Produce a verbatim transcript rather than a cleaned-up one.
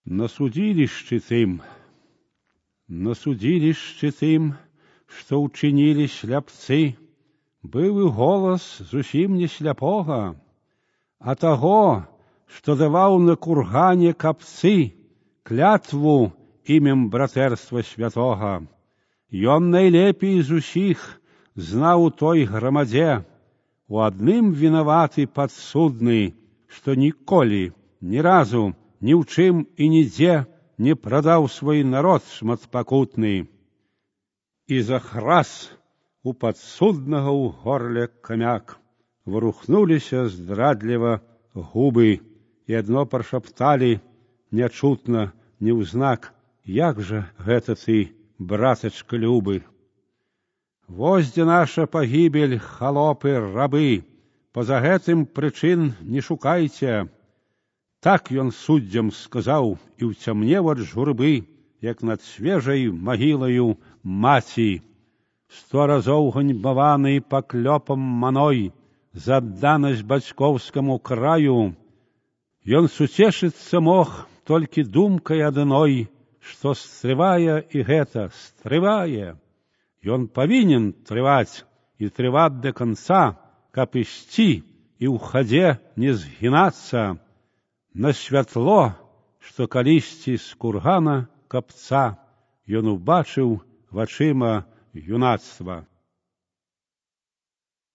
На судилищі тим, на судилищі тим, що учинили шляпці, бив і голос зусім не шляпога, а того, що давав на кургані капці клятву ім'ям братерства святого. Ён найлепей з усіх знав у той громаде, у адным вінаваты падсудны, што ніколі, ні разу, ні ў чым і нідзе не прадаў свой народ шматпакутны. І захрас у падсуднага ў горле камяк. Варухнуліся здрадліва губы, і адно прашапталі нячутна, неўзнак: як жа гэта ты, братачка любы? Вось дзе наша пагібель, халопы, рабы, па-за гэтым прычын не шукайце. Так ён суддзям сказаў і ўцямнеў ад журбы, як над свежай магілаю маці. Сто разоў ганьбаваны паклёпам маной за адданасць бацькоўскаму краю, ён суцешыцца мог толькі думкай адной, што стрывае і гэта стрывае. Ён павінен трываць і трываць да канца, каб ісці і ў хадзе не згінацца на святло, што калісьці з кургана капца ён убачыў вачыма юнацтва.